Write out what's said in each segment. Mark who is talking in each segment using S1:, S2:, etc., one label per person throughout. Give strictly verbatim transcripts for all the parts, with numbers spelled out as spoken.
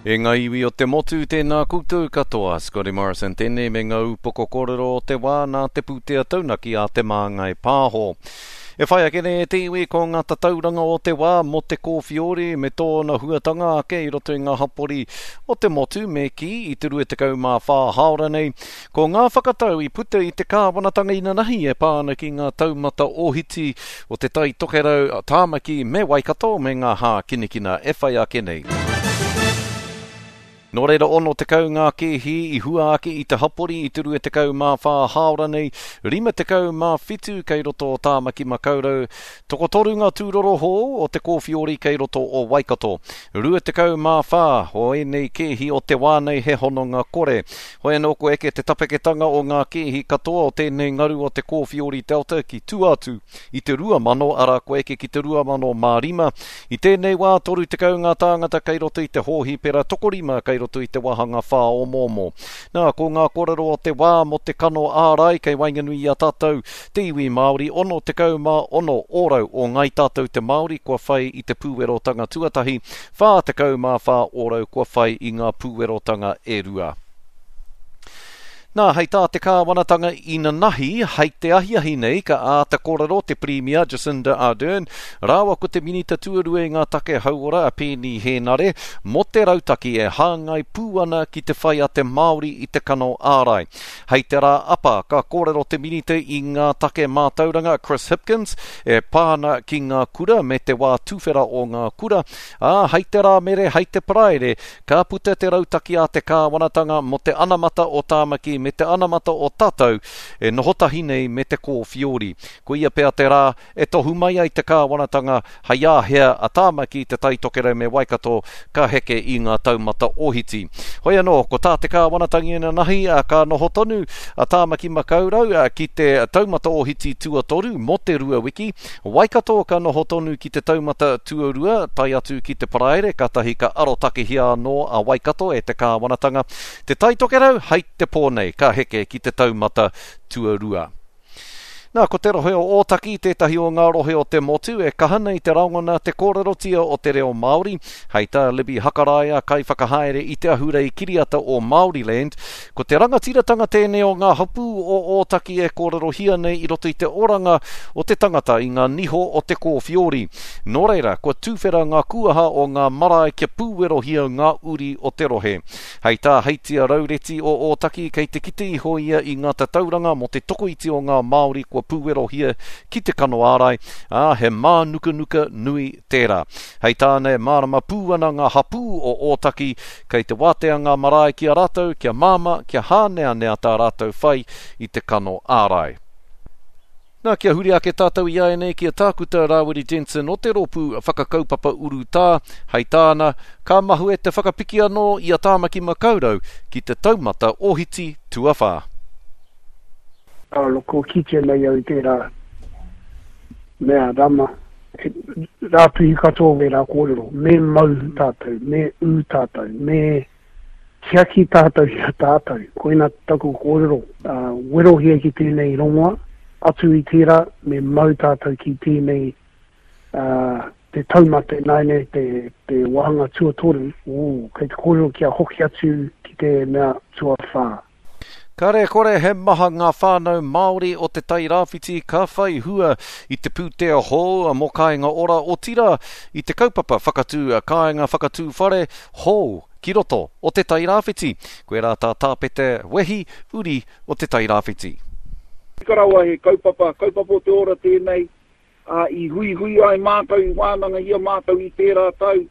S1: E ngā iwi o te motu, tēnā koutou katoa. Scotty Morrison tēnei me ngā upoko kōrero o te wā nā te pūtea taunaki a Te Māngai Pāho. E whai ake nei e te iwi ko ngā tatauranga o te wā mō te kōwhiori me tōna huatanga ake i roto i ngā hapori o te motu me kī i te rua tekau mā whā hāora nei. Ko ngā whakatau i puta i te kāwanatanga inanahi e pā ana ki ngā taumata ōhiti o Te Tai Tokerau, Tāmaki me Waikato me ngā hākinakina e whai ake nei. Nō reira ono tekau ngā kēhi i hua ake i te hapori i te rua tekau mā whā hāora nei, rima tekau mā whitu kei roto o Tāmaki Makaurau, tokotoru ngā tūroro hou o te kōwhiori kei roto o Waikato. Rua tekau mā whā o ēnei kēhi o te wā nei he hononga kore. Hoi anō kua eke te tapeketanga o ngā kēhi katoa o tēnei ngaru o te kōwhiori Delta ki tua atu i te rua mano, arā kua eke ki te rua mano mā rima. I tēnei wā toru tekau ngā tāngata kei roto i te hōhipera, tokorima kei roto i te wāhanga whāomoomo. Nā, ko ngā kōrero o te wā mō te kano ārai kei waenganui i a tātou te iwi Māori, ono tekau mā ono ōrau o Ngāi Tātou te Māori kua whai i te pūwerotanga tuatahi, whā tekau mā whā ōrau kua whai i ngā pūwerotanga e rua. Nā, hei tā te kāwanatanga inanahi, hei te ahiahi nei ka āta kōrero te Pirimia Jacinda Ardern rāua ko te Minita Tuarua i ngā Take Hauora a Peeni Hēnare mō te rautaki e hāngai pū ana ki te whai a te Māori i te kano ārai. Hei te rā apa ka kōrero te Minita i ngā Take Mātauranga Chris Hipkins e pā ana ki ngā kura me te wā tuwhera o ngā kura, ā, hei te Rāmere, hei te Paraire ka puta te rautaki a te kāwanatanga mō te anamata o Tāmaki me te anamata o tātou e noho tahi nei me te kōwhiori. Koia pea te rā e tohu mai ai te kāwanatanga hei āhea a Tāmaki, Te Tai Tokerau me Waikato ka heke i ngā taumata ohiti. Hoi anō, ko tā te kāwanatanga inanahi ka noho tonu a Tāmaki Makaurau ki te taumata ohiti tuatoru mō te rua wiki, Waikato ka noho tonu ki te taumata tuarua tae atu ki te Paraire, kātahi ka arotakehia anō a Waikato e te kāwanatanga. Te Tai Tokerau hei te pō nei ka heke ki te taumata tuarua. Nā, ko te rohe o Ōtaki tētahi o ngā rohe o te motu e kaha nei te rangona te kōrerotia o te reo Māori. Hei tā Libby Hakaraia, kaiwhakahaere i te ahurei kiriata o Māoriland, ko te rangatiratanga tēnei o ngā hapū o Ōtaki e kōrerohia nei i roto i te oranga o te tangata i ngā niho o te kōwhiori. Nō reira, kua tuwhera ngā kūaha o ngā marae kia pūwerohia ngā uri o te rohe. Hei tā Heitia Raureti o Ōtaki, kei te kite iho ia i ngā tatauranga mō te tokoiti o ngā Māori kua pūwerohia ki te kano ārai, ā, he mānukanuka nui tērā. Hei tāna e mārama pū ana ngā hapū o Ōtaki, kei te wātea ngā marae ki a rātou kia māmā, kia hāneanea tā rātou whai i te kano ārai. Nā, kia huri ake tātou i āianei ki a Tākuta Rāwiri Jensen o te rōpū whakakaupapa urutā, hei tāna, ka mahue te whakapiki anō i a Tāmaki Makaurau ki te taumata ohiti tuawhā.
S2: Alo, kua kitea nei au i tērā mea rama, he rātuhi katoa wērā kōrero, me mau tātou, me ū tātou, me tiaki tātou i a tātou. Koina taku kōrero, uh, werohia ki tēnei rongoa, atu i tērā, me mau tātou ki tēnei uh, te taumata ināianei, te, te wāhanga tuatoru, ū, kei te kōrero kia hoki atu ki te mea tuawhā.
S1: Kare kore he maha ngā whānau Māori o Te Tai Rāwhiti ka whai hua i te pūtea hou mō Kāinga Ora, otirā i te kaupapa whakatū kāinga whakatū whare hou ki roto o Te Tai Rāwhiti. Koirā tā Tāpete Wehi, uri o Te Tai Rāwhiti.
S3: Tika rawa he kaupapa, kaupapa o te ora tēnei, ā, i huihui ai mātou, i wānangahia mātou i tērā tau,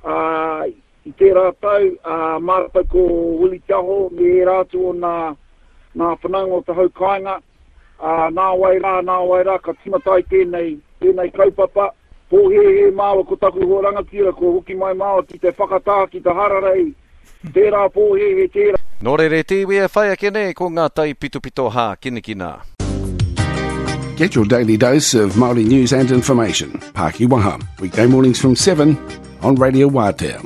S3: ā, i tērā tau, ā, mātou ko Willie Te Aho me ērā atu o nā, nā whanaunga o te hau kāinga, ā, nā wai rā, nā wai rā, ka tīmata ai tēnei, tēnei kaupapa. Pōhēhē māua ko taku hoa rangatira, kua hoki mai māua ki te whakatā, ki te hararei, tērā pōhēhē, tērā.
S1: Nō reira e te iwi e whai ake nei ko ngā taipitopito hākinakina.
S4: Get your daily dose of Māori news and information. Pākiwaha, weekday mornings from seven on Radio Wātea.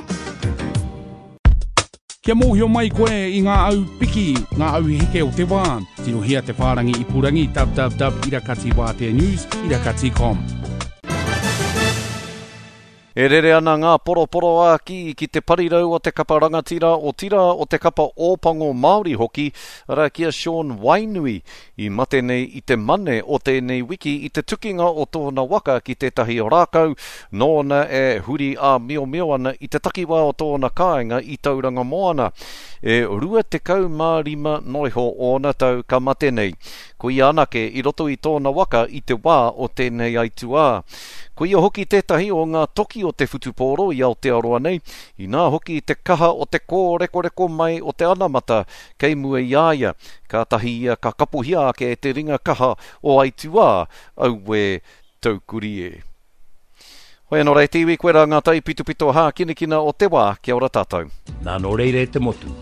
S5: Kia mōhio mai koe i ngā au piki, ngā au heke o te wā, tirohia te whārangi ipurangi www irakati wātea news irakati com.
S1: E rere ana ngā poroporoākī ki te parirau o te kapa rangatira, otirā o te kapa Ōpango Māori hoki, arā ki a Sean Wainui, i mate nei i te Mane o tēnei wiki i te tukinga o tōna waka ki tētahi rākau nōna e huri āmiomio ana i te takiwā o tōna kāinga i Tauranga Moana. E rua tekau mā rima noiho ōna tau ka mate nei. Ko ia anake i roto i tōna waka i te wā o tēnei aituā. Ko ia hoki tētahi o ngā toki o te whutupōro i Aotearoa nei, inā hoki te kaha o te kōrekoreko mai o te anamata kei mua i a ia. Kātahi ia ka kapohia ake e te ringa kaha o aituā, auē taukuri e. Hoi anō rā e te iwi, koe rā ngā taipitopito hākinakina o te wā, kia ora tātou.
S6: Nā nō reira e te motu,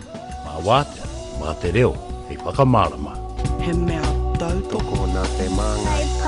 S6: mā wātea, mā te reo, hei whakamārama.
S7: He mea tautoko.
S8: Tokona te māngai.